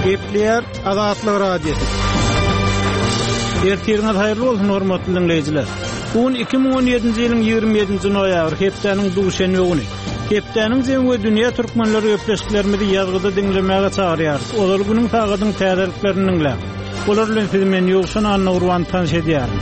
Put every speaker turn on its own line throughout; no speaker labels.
Gepleýär Azatlyk Radiosy. Ertiriňiz haýyrly bolsun, hormatly diňleýjiler. Bu gün 2017-nji ýylyň 27-nji noýabry, hepdäniň duşenbe güni. Hepdäniň jemi we dünýä türkmenleri gepleşiklerimizi ýazgyda diňlemäge çagyrýarys. Ozal günüň sagadyň täzeliklerini diňläň. Olar bilen sizi men Ýowşan Annagurban tanyş edýärin.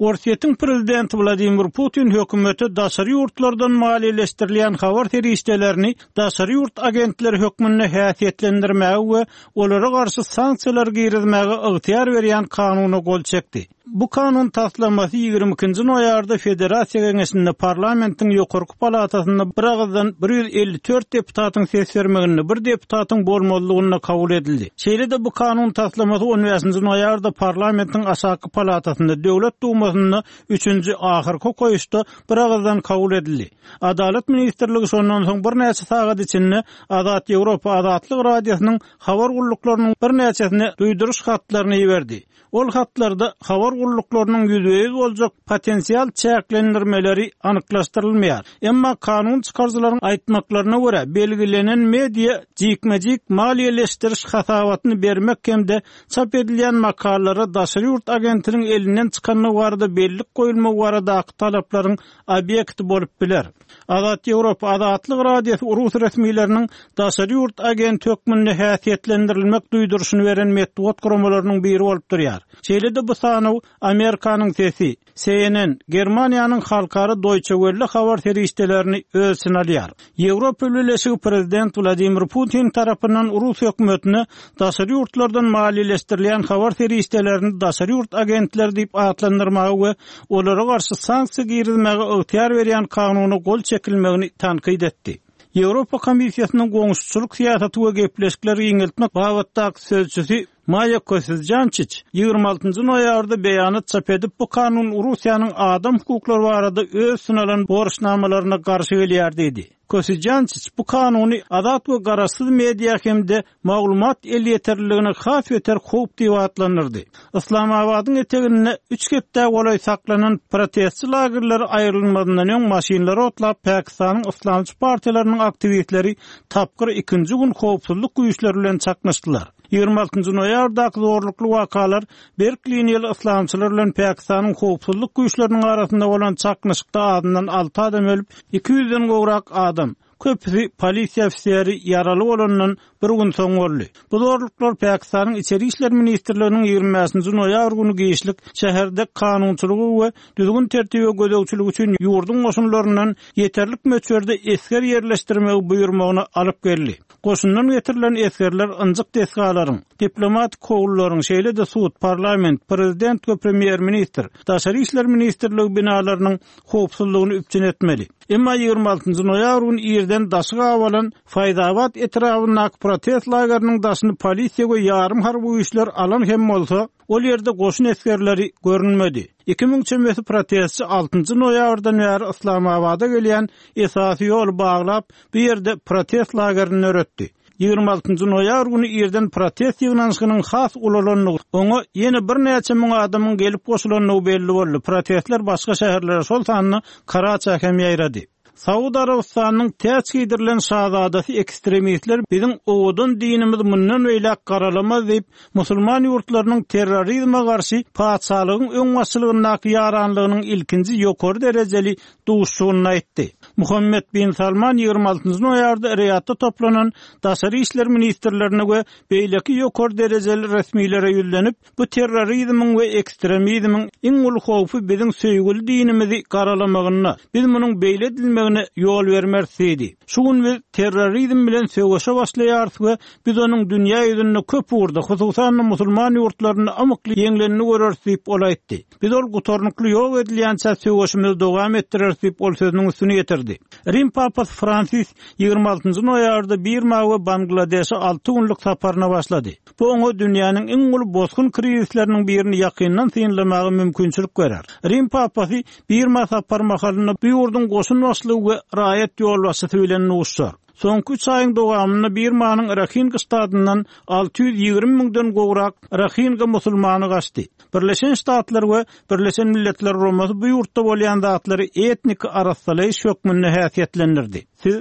Orsýetiň prezidenti Wladimir Putin hökümete daşary ýurtlardan maliýeleşdirilýän habar serişdelerini daşary ýurt agentleri hökmünde häsiýetlendirmäge we olara garşy sanksiýalar girizmäge ygtyýar berýän kanuna gol çekdi. Bu kanun taslamasy 22-nji noýabrda Federasiýa Geňeşinde parlamentiň ýokarky palatasynda biragyzdan 154 deputatyň ses bermeginde, bir deputatyň bolmazlygynda kabul edildi. Şeýle-de bu kanun taslamasy on bäşinji noýabrda parlamentiň aşaky palatasynda, Döwlet Dumasynda üçünji, ahyrky okaýyşda biragyzdan kabul edildi. Adalat ministrligi şondan soň birnäçe sagat içinde Azat Ýewropa Azatlyk Radiosynyň habar gulluklarynyň birnäçesine duýduryş hatlaryny iberdi. Ol hatlarda habar gulluklarynyň ýüzbe-ýüz boljak potensial çäklendirmeleri anyklaşdyrylmaýar. Emma kanun çykaryjylaryň aýtmaklaryna görä, belgilenen media jikme-jik maliýeleşdiriş hasabatyny bermek hem-de çap edilýän makalalara daşary ýurt agentiniň elinden çykandygy barada bellik goýulmagy baradaky talaplaryň obýekti bolup biler. Azat Ýewropa, Azatlyk Radiosy rus resmileriniň daşary ýurt agenti hökmünde häsiýetlendirilmek duýduryşyny beren metbugat guramalarynyň biri bolup durýar. Şeýle-de bu sanaw Amerikanyň Sesi, CNN, Germaniýanyň halkara Deutsche Welle habar serişdelerini öz içine alýar. Ýewropa Bileleşigi prezident Wladimir Putin tarapyndan rus hökümetine daşary ýurtlardan maliýeleşdirilýän habar serişdelerini daşary ýurt agentleri diýip atlandyrmaga we olara garşy sanksiýa girizmäge ygtyýar berýän kanuna gol çekilmegini tankyt etdi. Ýewropa Komissiýasynyň goňşuçylyk syýasaty we gepleşikleri giňeltmek babatdaky sözçüsi Maýa Kosijançiç 26-njy noýabrda beýanat çap edip, bu kanun Russiýanyň adam hukuklary barada öz üstüne alan borçnamalaryna garşy gelýär diýdi. Kosijançiç bu kanuny azat we garaşsyz media hem-de maglumat elýeterliligine has beter howp diýip atlandyrdy. Yslamabadyň eteginde üç hepdä golaý saklanan protestçi lagerleri aýrylmazyndan öň maşynlary otlap Pakistanyň yslamçy partiýalarynyň aktiwistleri tapgyr ikinji gün howpsuzlyk güýçleri bilen çaknyşdylar. 26-njy noýabrdaky zorlukly wakalar berk liniýaly yslamçylar bilen Pakistanyň howpsuzlyk güýçleriniň arasynda bolan çaknyşykda azyndan alty adam ölüp, 200-den gowrak adam, köpüsi polisiýa ofiseri ýaraly bolandan bir gün soň boldy. Bu zorluklar Pakistanyň Içeri işler ministrliginiň 25-nji noýabr güni giçlik şäherde kanunçylygy we düzgün-tertibe gözegçilik üçin ýurduň goşunlaryndan ýeterlik möçberde esger ýerleşdirmegi buýurmagyna alyp geldi. Goşundan getirilen esgerler ynjyk desgalaryň, diplomatik howlularyň, şeýle-de sud, parlament, prezident we premýer-ministr, Daşary işler ministrligi binalarynyň howpsuzlygyny üpjün etmeli. Emma 26-njy noýabr güni irden daşy gabalan Faýzabat etrabyndaky protest lageriniň daşyny polisiýa we ýarym harby güýçler alan hem bolsa, ol ýerde goşun esgerleri görünmedi. 2000 çemesi protestçi altynjy noýabrdan bäri Yslamabada gelýän esasy ýoly baglap, bu ýerde protest lagerini döretdi. 26-njy noýabr güni irden protest ýygnanyşygynyň has ulalandygy, oňa ýene birnäçe müň adamyň gelip goşulandygy belli boldy. Protestler başga şäherlere, şol sanda Karaça hem ýaýrady. Saud Arabystanynyň täç geýdirilen şazadasy ekstremistler biziň owadan dinimizi mundan beýläk garalamaz diýip, musulman ýurtlarynyň terrorizme garşy patyşalygyň öňbaşçylygyndaky ýaranlygynyň ilkinji ýokary derejeli duşuşygynda aýtdy. Muhammed bin Salman 26-njy noýabrda Riýadda toplanan daşary işler ministrlerine we beýleki ýokary derejeli resmilere ýüzlenip, bu terrorizmiň we ekstremizmiň iň uly howpy biziň söýgüli dinimizi garalamagynda, biz munuň beýle edilmegine ýol bermeris diýdi. Şu gün biz terrorizm bilen söweşe başlaýarys we biz onuň dünýä ýüzünde köp ugurda, hususan-da musulman ýurtlarynda ymykly ýeňlenini göreris diýip, ol aýtdy. Biz ol gutarnykly ýok edilýänçä söweşimizi dowam etdireris diýip, ol sözüniň üstüni ýetirdi. Rim papasy Fransis 26-njy noýabrda Birma we Bangladeşe alty günlük saparyna başlady. Bu oňa dünýäniň iň uly bosgun krizisleriniň birini ýakyndan synlamaga mümkinçilik berer. Rim papasy Birma sapary mahalynda bu ýurduň goşun başlygy we raýat ýolbaşçysy bilen duşuşar. Soňky üç aýyň dowamynda Birmanyň Rahinga ştatyndan 620 müňden gowrak rohinga musulmany gaçdy. Birleşen Ştatlar we Birleşen Milletler Guramasy bu ýurtda bolýan zatlary etniki arassalaýyş hökmünde häsiýetlendirdi. Siz.